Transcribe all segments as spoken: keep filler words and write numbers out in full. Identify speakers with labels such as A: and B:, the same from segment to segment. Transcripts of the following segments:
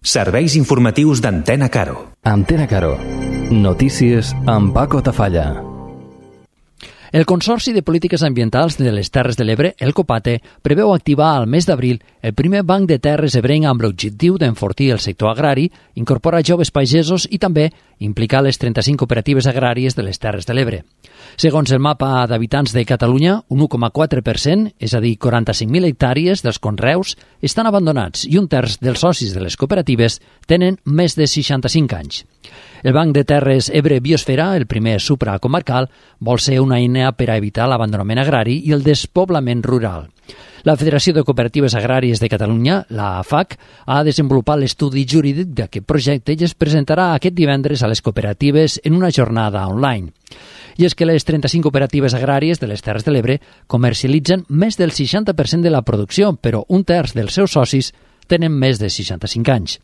A: Serveis informatius d'Antena Caro.
B: Antena Caro. Notícies amb Paco Tafalla.
C: El Consorci de Polítiques Ambientals de les Terres de l'Ebre, el COPATE, preveu activar al mes d'abril el primer banc de terres ebrenc amb l'objectiu d'enfortir el sector agrari, incorporar joves pagesos i també implicar les trenta-cinc cooperatives agràries de les Terres de l'Ebre. Segons el mapa d'habitants de Catalunya, un u coma quatre per cent, és a dir, quaranta-cinc mil hectàrees dels conreus, estan abandonats i un terç dels socis de les cooperatives tenen més de seixanta-cinc anys. El Banc de Terres Ebre Biosfera, el primer supracomarcal, vol ser una eina per a evitar l'abandonament agrari i el despoblament rural. La Federació de Cooperatives Agràries de Catalunya, la A F A C, ha desenvolupat l'estudi jurídic d'aquest projecte i es presentarà aquest divendres a les cooperatives en una jornada online. I és que les trenta-cinc cooperatives agràries de les Terres de l'Ebre comercialitzen més del seixanta per cent de la producció, però un terç dels seus socis tenen més de seixanta-cinc anys.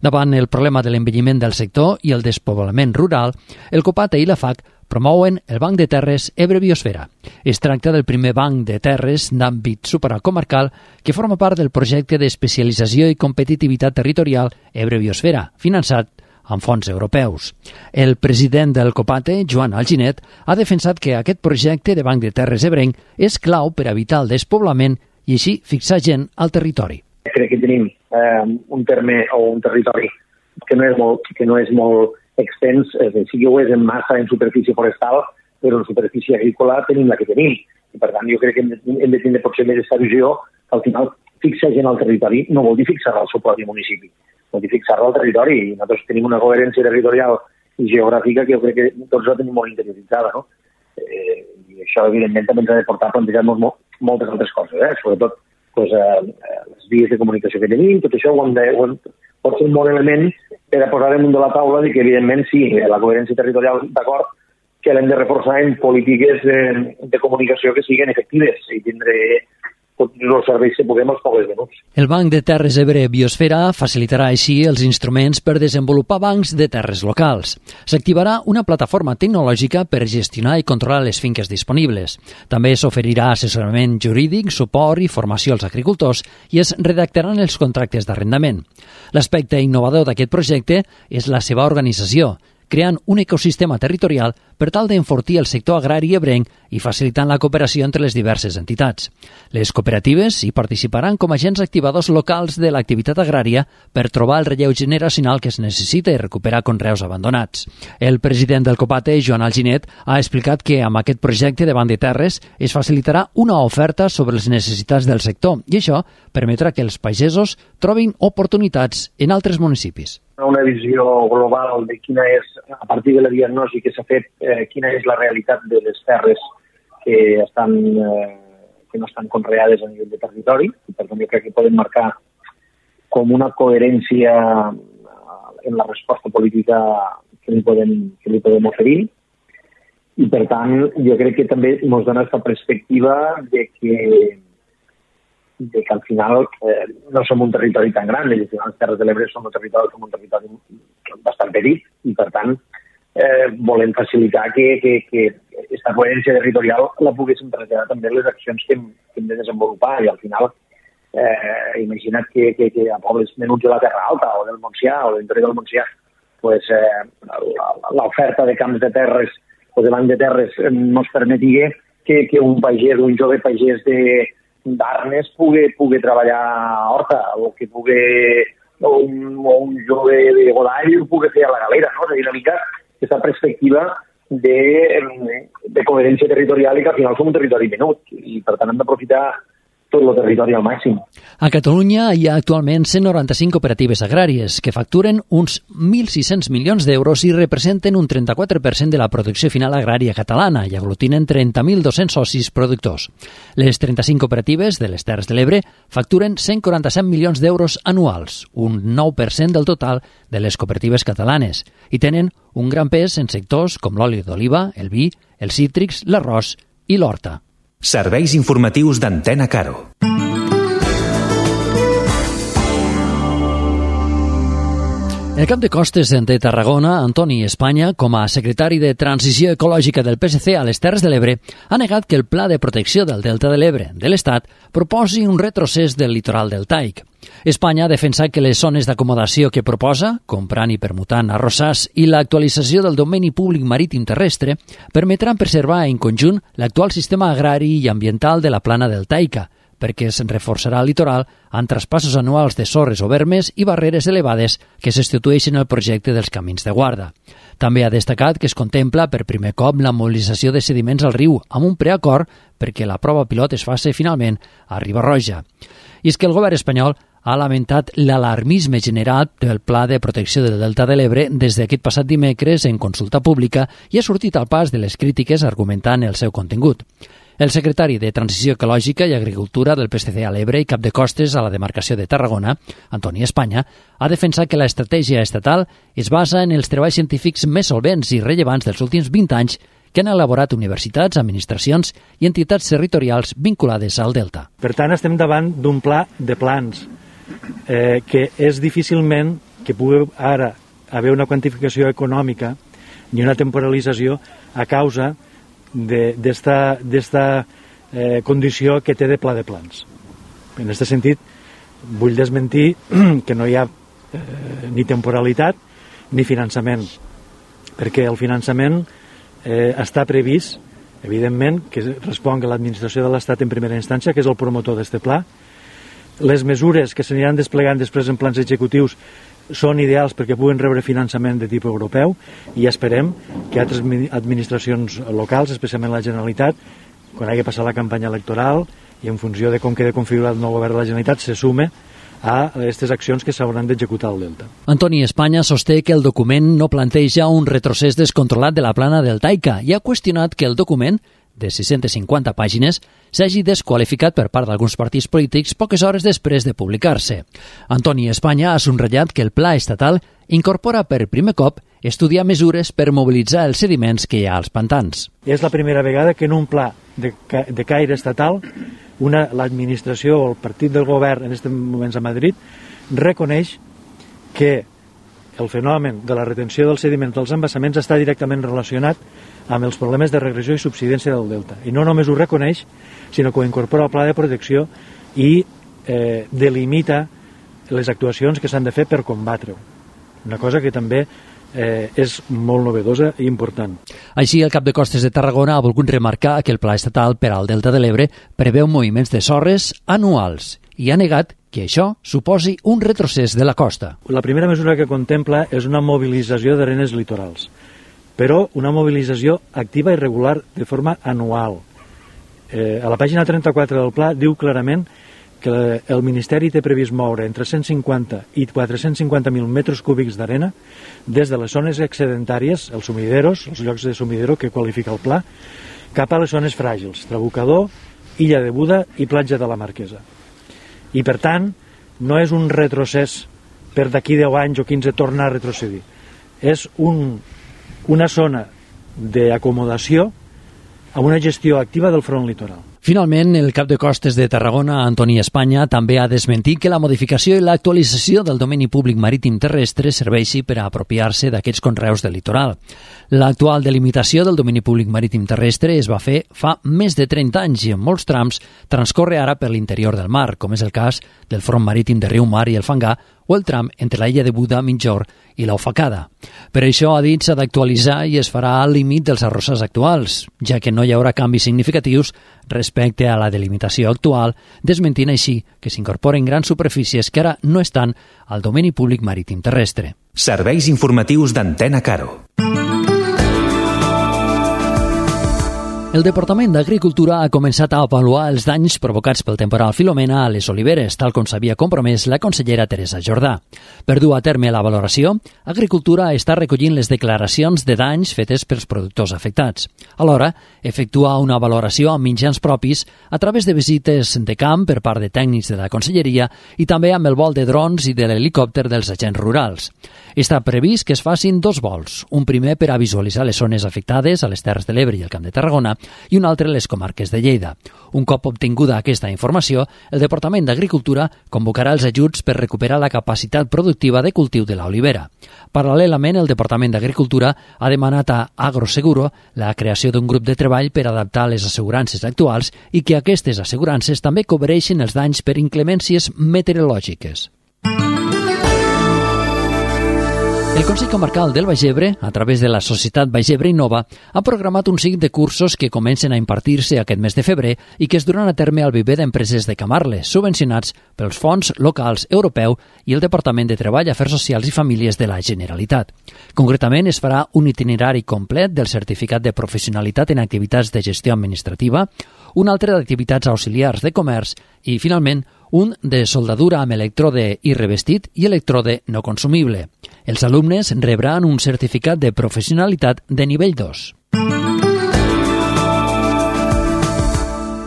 C: Davant el problema de l'envelliment del sector i el despoblament rural, el COPATE i la F A C promouen el Banc de Terres Ebre Biosfera. Es tracta del primer banc de terres d'àmbit supracomarcal que forma part del projecte d'especialització i competitivitat territorial Ebre Biosfera, finançat amb fons europeus. El president del COPATE, Joan Alginet, ha defensat que aquest projecte de Banc de Terres ebrenc és clau per evitar el despoblament i així fixar gent al territori.
D: Crec que tenim eh, un terme o un territori que no és molt, que no és molt extens, és a dir, sí que ho és en massa en superfície forestal, però en superfície agrícola tenim la que tenim. I per tant jo crec que hem de, hem de tenir potser més aquesta visió que al final fixar gent al territori no vol dir fixar-la al seu propi municipi, vol dir fixar-la al territori. I nosaltres tenim una coherència territorial i geogràfica que jo crec que tots la tenim molt interioritzada, no? Eh, I això evidentment també ens ha de portar a plantejar-nos molt, moltes altres coses, eh? Sobretot pues, eh, les vies de comunicació que tenim, tot això ho hem de, ho hem, pot ser un bon element per a posar damunt de la taula de que, evidentment, sí, la coherència territorial, d'acord, que l'hem de reforçar en polítiques de, de comunicació que siguin efectives i tindre tots els serveis que puguem als pobles venuts.
C: El Banc de Terres Ebre Biosfera facilitarà així els instruments per desenvolupar bancs de terres locals. S'activarà una plataforma tecnològica per gestionar i controlar les finques disponibles. També s'oferirà assessorament jurídic, suport i formació als agricultors i es redactaran els contractes d'arrendament. L'aspecte innovador d'aquest projecte és la seva organització, creant un ecosistema territorial per tal d'enfortir el sector agrari ebrenc i facilitant la cooperació entre les diverses entitats. Les cooperatives hi participaran com a agents activadors locals de l'activitat agrària per trobar el relleu generacional que es necessita i recuperar conreus abandonats. El president del COPATE, Joan Alginet, ha explicat que amb aquest projecte de Banc de Terres es facilitarà una oferta sobre les necessitats del sector i això permetrà que els pagesos trobin oportunitats en altres municipis.
D: Una visió global de quina és, a partir de la diagnosi que s'ha fet, eh, quina és la realitat de les terres que, estan, eh, que no estan conreades a nivell de territori. I per tant, jo crec que podem marcar com una coherència en la resposta política que li podem, que li podem oferir. I per tant, jo crec que també ens dona aquesta perspectiva de que de que al final eh, no som un territori tan gran, i al final les Terres de l'Ebre som un territori, som un territori bastant petit i per tant eh, volem facilitar que, que, que aquesta coherència territorial la poguéssim traslladar també les accions que hem, que hem de desenvolupar i al final eh, imagina't que, que, que a pobles menuts de la Terra Alta o del Montsià o de l'interior del Montsià pues, eh, l'oferta de camps de terres o de banc de terres no es permetia que, que un pagès, un jove pagès de d'Arnes pugui, pugui treballar a Horta o que pugui o un, o un jove de Godall pugui fer a la Galera, no? És a dir, una mica aquesta perspectiva de, de coherència territorial i que al final som un territori menut i per tant hem d'aprofitar tot el territori al màxim.
C: A Catalunya hi ha actualment cent noranta-cinc cooperatives agràries que facturen uns mil sis-cents milions d'euros i representen un trenta-quatre per cent de la producció final agrària catalana i aglutinen trenta mil dos-cents socis productors. Les trenta-cinc cooperatives de les Terres de l'Ebre facturen cent quaranta-set milions d'euros anuals, un nou per cent del total de les cooperatives catalanes, i tenen un gran pes en sectors com l'oli d'oliva, el vi, els cítrics, l'arròs i l'horta.
A: Serveis informatius d'Antena Caro.
C: El cap de costes de Tarragona, Antoni Espanya, com a secretari de Transició Ecològica del P S C a les Terres de l'Ebre, ha negat que el Pla de Protecció del Delta de l'Ebre de l'Estat proposi un retrocés del litoral deltaic. Espanya ha defensat que les zones d'acomodació que proposa, comprant i permutant arrossars i l'actualització del domini públic marítim terrestre, permetran preservar en conjunt l'actual sistema agrari i ambiental de la plana deltaica, perquè es reforçarà el litoral amb traspassos anuals de sorres o vermes i barreres elevades que substitueixen el projecte dels camins de guarda. També ha destacat que es contempla per primer cop la mobilització de sediments al riu amb un preacord perquè la prova pilot es faci finalment a Riba-roja. I és que el govern espanyol ha lamentat l'alarmisme generat del Pla de Protecció del Delta de l'Ebre des d'aquest passat dimecres en consulta pública i ha sortit al pas de les crítiques argumentant el seu contingut. El secretari de Transició Ecològica i Agricultura del P S C a l'Ebre i cap de costes a la demarcació de Tarragona, Antoni Espanya, ha defensat que l'estratègia estatal es basa en els treballs científics més solvents i rellevants dels últims vint anys que han elaborat universitats, administracions i entitats territorials vinculades al Delta.
E: Per tant, estem davant d'un pla de plans eh, que és difícilment que pugui ara haver una quantificació econòmica ni una temporalització a causa d'esta eh, condició que té de pla de plans. En aquest sentit, vull desmentir que no hi ha eh, ni temporalitat ni finançament, perquè el finançament eh, està previst, evidentment, que respon a l'administració de l'Estat en primera instància, que és el promotor d'aquest pla. Les mesures que s'aniran desplegant després en plans executius són ideals perquè puguen rebre finançament de tipus europeu i esperem que altres administracions locals, especialment la Generalitat, quan hagi passat la campanya electoral i en funció de com queda configurat el nou govern de la Generalitat, se sume a aquestes accions que s'hauran d'executar al Delta.
C: Antoni Espanya sosté que el document no planteja un retrocés descontrolat de la plana deltaica i ha qüestionat que el document, de sis-centes cinquanta pàgines, s'hagi desqualificat per part d'alguns partits polítics poques hores després de publicar-se. Antoni Espanya ha subratllat que el pla estatal incorpora per primer cop estudiar mesures per mobilitzar els sediments que hi ha als pantans.
E: És la primera vegada que en un pla de, de caire estatal una, l'administració o el partit del govern en aquests moments a Madrid reconeix que el fenomen de la retenció dels sediments dels embassaments està directament relacionat amb els problemes de regressió i subsidència del delta. I no només ho reconeix, sinó que ho incorpora al pla de protecció i eh, delimita les actuacions que s'han de fer per combatre-ho. Una cosa que també eh, és molt novedosa i important.
C: Així, el cap de costes de Tarragona ha volgut remarcar que el pla estatal per al Delta de l'Ebre preveu moviments de sorres anuals i ha negat que això suposi un retrocés de la costa.
E: La primera mesura que contempla és una mobilització d'arenes litorals, però una mobilització activa i regular de forma anual. Eh, a la pàgina trenta-quatre del pla diu clarament que el Ministeri té previst moure entre cent cinquanta i quatre-cents cinquanta mil metres cúbics d'arena des de les zones excedentàries, els sumideros, els llocs de sumidero que qualifica el pla, cap a les zones fràgils, Trabucador, Illa de Buda i Platja de la Marquesa. I, per tant, no és un retrocés per d'aquí deu anys o quinze tornar a retrocedir. És un, una zona d'acomodació amb una gestió activa del front litoral.
C: Finalment, el cap de costes de Tarragona, Antoni Espanya, també ha desmentit que la modificació i l'actualització del domini públic marítim terrestre serveixi per a apropiar-se d'aquests conreus del litoral. L'actual delimitació del domini públic marítim terrestre es va fer fa més de trenta anys i en molts trams transcorre ara per l'interior del mar, com és el cas del front marítim de Riumar i el Fangar o el tram entre la illa de Buda, Migjorn i l'Ofacada. Per això, ha dit, s'ha d'actualitzar i es farà al límit dels arrossars actuals, ja que no hi haurà canvis significatius respecte a la delimitació actual, desmentint així que s'incorporen grans superfícies que ara no estan al domini públic marítim terrestre.
A: Serveis informatius d'Antena Caro.
C: El Departament d'Agricultura ha començat a avaluar els danys provocats pel temporal Filomena a les oliveres, tal com s'havia compromès la consellera Teresa Jordà. Per dur a terme la valoració, Agricultura està recollint les declaracions de danys fetes pels productors afectats. Alhora, efectua una valoració amb mitjans propis a través de visites de camp per part de tècnics de la conselleria i també amb el vol de drons i de l'helicòpter dels agents rurals. Està previst que es facin dos vols, un primer per a visualitzar les zones afectades a les Terres de l'Ebre i el Camp de Tarragona i un altre les comarques de Lleida. Un cop obtinguda aquesta informació, el Departament d'Agricultura convocarà els ajuts per recuperar la capacitat productiva de cultiu de l'olivera. Paral·lelament, el Departament d'Agricultura ha demanat a Agroseguro la creació d'un grup de treball per adaptar les assegurances actuals i que aquestes assegurances també cobreixin els danys per inclemències meteorològiques. El Consell Comarcal del Baix Ebre, a través de la Societat Baix Ebre Innova, ha programat un seguit de cursos que comencen a impartir-se aquest mes de febrer i que es duran a terme al viver d'empreses de Camarles, subvencionats pels fons locals europeu i el Departament de Treball, Afers Socials i Famílies de la Generalitat. Concretament, es farà un itinerari complet del certificat de professionalitat en activitats de gestió administrativa, un altre d'activitats auxiliars de comerç i, finalment, un de soldadura amb electrode i revestit i electrode no consumible. Els alumnes rebran un certificat de professionalitat de nivell dos.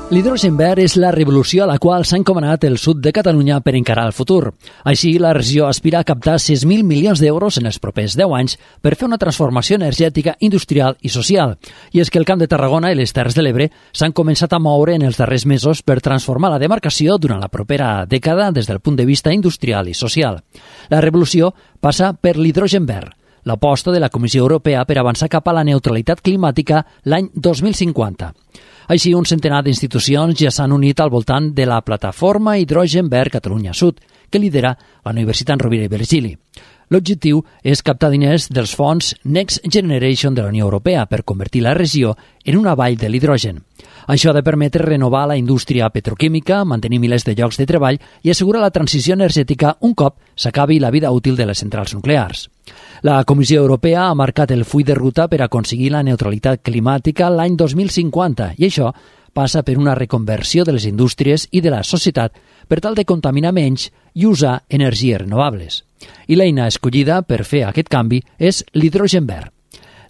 C: L'hidrogen verd és la revolució a la qual s'ha encomanat el sud de Catalunya per encarar el futur. Així, la regió aspira a captar sis mil milions d'euros en els propers deu anys per fer una transformació energètica, industrial i social. I és que el Camp de Tarragona i les Terres de l'Ebre s'han començat a moure en els darrers mesos per transformar la demarcació durant la propera dècada des del punt de vista industrial i social. La revolució passa per l'hidrogen verd, l'aposta de la Comissió Europea per avançar cap a la neutralitat climàtica l'any dos mil cinquanta. Així, un centenar d'institucions ja s'han unit al voltant de la plataforma Hidrogen Verd Catalunya Sud, que lidera la Universitat Rovira i Virgili. L'objectiu és captar diners dels fons Next Generation de la Unió Europea per convertir la regió en una vall de l'hidrogen. Això ha de permetre renovar la indústria petroquímica, mantenir milers de llocs de treball i assegurar la transició energètica un cop s'acabi la vida útil de les centrals nuclears. La Comissió Europea ha marcat el full de ruta per aconseguir la neutralitat climàtica l'any dos mil cinquanta i això passa per una reconversió de les indústries i de la societat per tal de contaminar menys i usar energies renovables. I l'eina escollida per fer aquest canvi és l'hidrogen verd.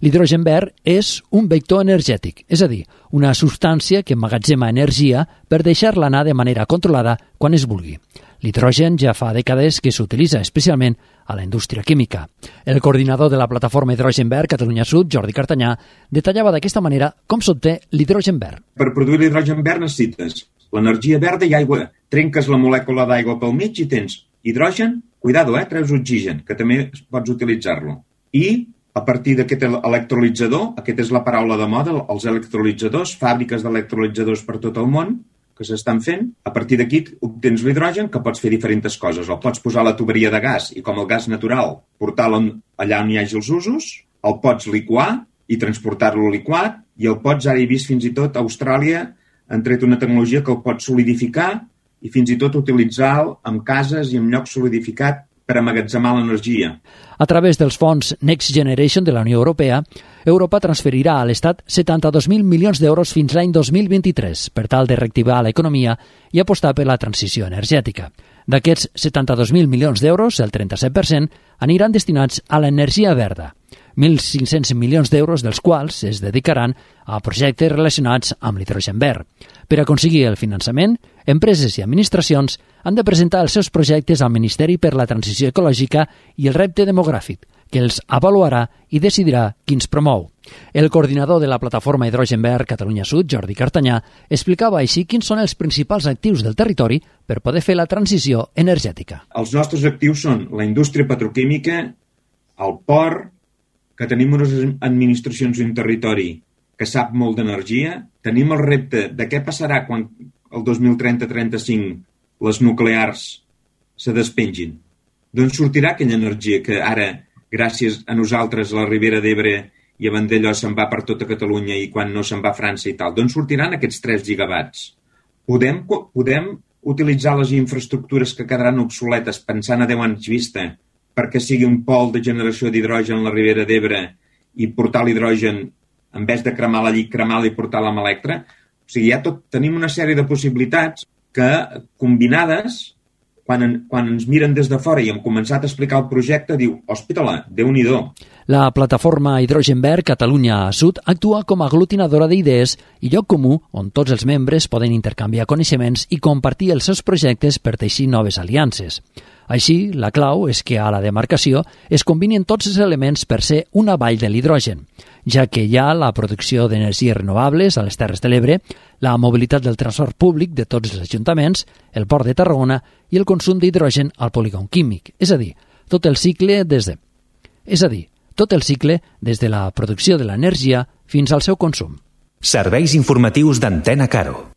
C: L'hidrogen verd és un vector energètic, és a dir, una substància que emmagatzema energia per deixar-la anar de manera controlada quan es vulgui. L'hidrogen ja fa dècades que s'utilitza especialment a la indústria química. El coordinador de la plataforma Hidrogen Verd Catalunya Sud, Jordi Cartanyà, detallava d'aquesta manera com s'obté l'hidrogen verd.
F: Per produir l'hidrogen verd necessites l'energia verda i aigua. Trenques la molècula d'aigua pel mig i tens hidrogen, cuidado, eh, treus oxigen, que també pots utilitzar-lo. I a partir d'aquest electrolitzador, aquesta és la paraula de moda, els electrolitzadors, fàbriques d'electrolitzadors per tot el món que s'estan fent. A partir d'aquí obtens l'hidrogen, que pots fer diferents coses. El pots posar a la tuberia de gas i, com el gas natural, portar-lo allà on hi hagi els usos, el pots liquar i transportar-lo liquat, i el pots, ara he vist fins i tot a Austràlia, han tret una tecnologia que el pots solidificar i fins i tot utilitzar-lo en cases i en llocs solidificat per amagatzemar l'energia.
C: A través dels fons Next Generation de la Unió Europea, Europa transferirà a l'Estat setanta-dos mil milions d'euros fins l'any dos mil vint-i-tres per tal de reactivar l'economia i apostar per la transició energètica. D'aquests setanta-dos mil milions d'euros, el trenta-set per cent aniran destinats a l'energia verda. mil cinc-cents milions d'euros dels quals es dedicaran a projectes relacionats amb l'hidrogen verd. Per aconseguir el finançament, empreses i administracions han de presentar els seus projectes al Ministeri per la Transició Ecològica i el Repte Demogràfic, que els avaluarà i decidirà quins promou. El coordinador de la plataforma Hidrogen Verd Catalunya Sud, Jordi Cartanyà, explicava així quins són els principals actius del territori per poder fer la transició energètica.
F: Els nostres actius són la indústria petroquímica, el port, que tenim unes administracions i un territori que sap molt d'energia, tenim el repte de què passarà quan el dos mil trenta trenta-cinc les nuclears se despengin. D'on sortirà aquella energia que ara, gràcies a nosaltres, a la Ribera d'Ebre i a Vandellós se'n va per tota Catalunya i quan no se'n va a França i tal, d'on sortiran aquests tres gigawatts? Podem, podem utilitzar les infraestructures que quedaran obsoletes pensant a deu anys vista perquè sigui un pol de generació d'hidrogen a la Ribera d'Ebre i portar l'hidrogen, en vez de cremar la llit, cremar-la i portar-la amb Electra. O sigui, ja tot, tenim una sèrie de possibilitats que, combinades, quan, en, quan ens miren des de fora i hem començat a explicar el projecte, diu, hòspitala, Déu-n'hi-do.
C: La plataforma Hidrogen Verd Catalunya Sud actua com a aglutinadora d'idees i lloc comú on tots els membres poden intercanviar coneixements i compartir els seus projectes per teixir noves aliances. Així, la clau és que a la demarcació es combinin tots els elements per ser una vall de l'hidrogen, ja que hi ha la producció d'energies renovables a les Terres de l'Ebre, la mobilitat del transport públic de tots els ajuntaments, el port de Tarragona i el consum d'hidrogen al polígon químic, és a dir, tot el cicle des de... És a dir, tot el cicle des de la producció de l'energia fins al seu consum.
A: Serveis informatius d'Antena Caro.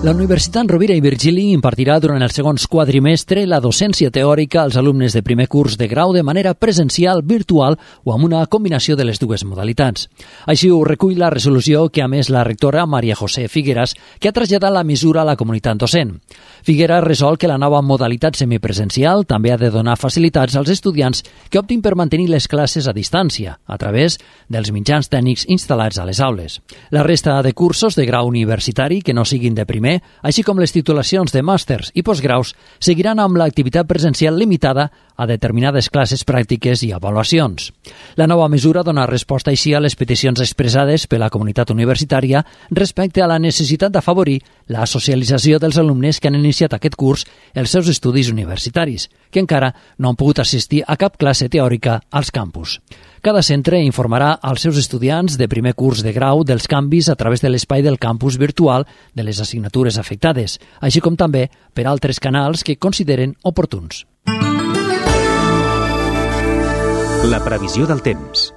C: La Universitat Rovira i Virgili impartirà durant el segon quadrimestre la docència teòrica als alumnes de primer curs de grau de manera presencial, virtual o amb una combinació de les dues modalitats. Així ho recull la resolució que ha emès la rectora Maria José Figueras, que ha traslladat la mesura a la comunitat docent. Figueras resol que la nova modalitat semipresencial també ha de donar facilitats als estudiants que optin per mantenir les classes a distància, a través dels mitjans tècnics instal·lats a les aules. La resta de cursos de grau universitari que no siguin de primer, així com les titulacions de màsters i postgraus, seguiran amb l'activitat presencial limitada a determinades classes pràctiques i avaluacions. La nova mesura dona resposta així a les peticions expressades per la comunitat universitària respecte a la necessitat d'afavorir la socialització dels alumnes que han iniciat aquest curs els seus estudis universitaris, que encara no han pogut assistir a cap classe teòrica als campus. Cada centre informarà als seus estudiants de primer curs de grau dels canvis a través de l'espai del campus virtual de les assignatures afectades, així com també per altres canals que consideren oportuns.
A: La previsió del temps.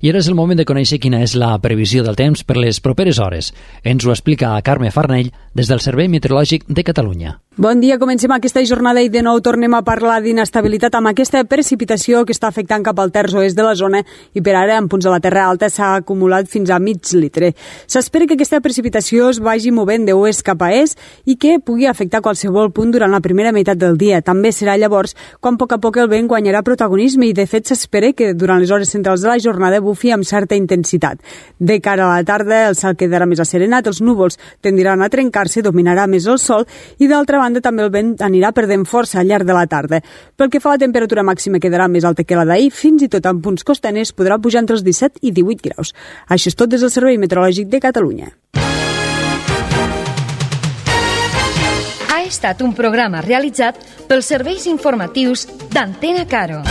C: I ara és el moment de conèixer quina és la previsió del temps per les properes hores. Ens ho explica Carme Farnell des del Servei Meteorològic de Catalunya.
G: Bon dia, comencem aquesta jornada i de nou tornem a parlar d'inestabilitat amb aquesta precipitació que està afectant cap al terç oest de la zona i per ara en punts de la Terra Alta s'ha acumulat fins a mig litre. S'espera que aquesta precipitació es vagi movent d'oest cap a est i que pugui afectar qualsevol punt durant la primera meitat del dia. També serà llavors quan a poc a poc el vent guanyarà protagonisme i de fet s'espera que durant les hores centrals de la jornada bufi amb certa intensitat. De cara a la tarda el cel quedarà més asserenat, els núvols tendiran a trencar-se, dominarà més el sol i d'altra banda també el vent anirà perdent força al llarg de la tarda. Pel que fa a la temperatura màxima quedarà més alta que la d'ahir, fins i tot en punts costaners podrà pujar entre els disset i divuit graus. Això és tot des del Servei Meteorològic de Catalunya.
H: Ha estat un programa realitzat pels serveis informatius d'Antena Caro.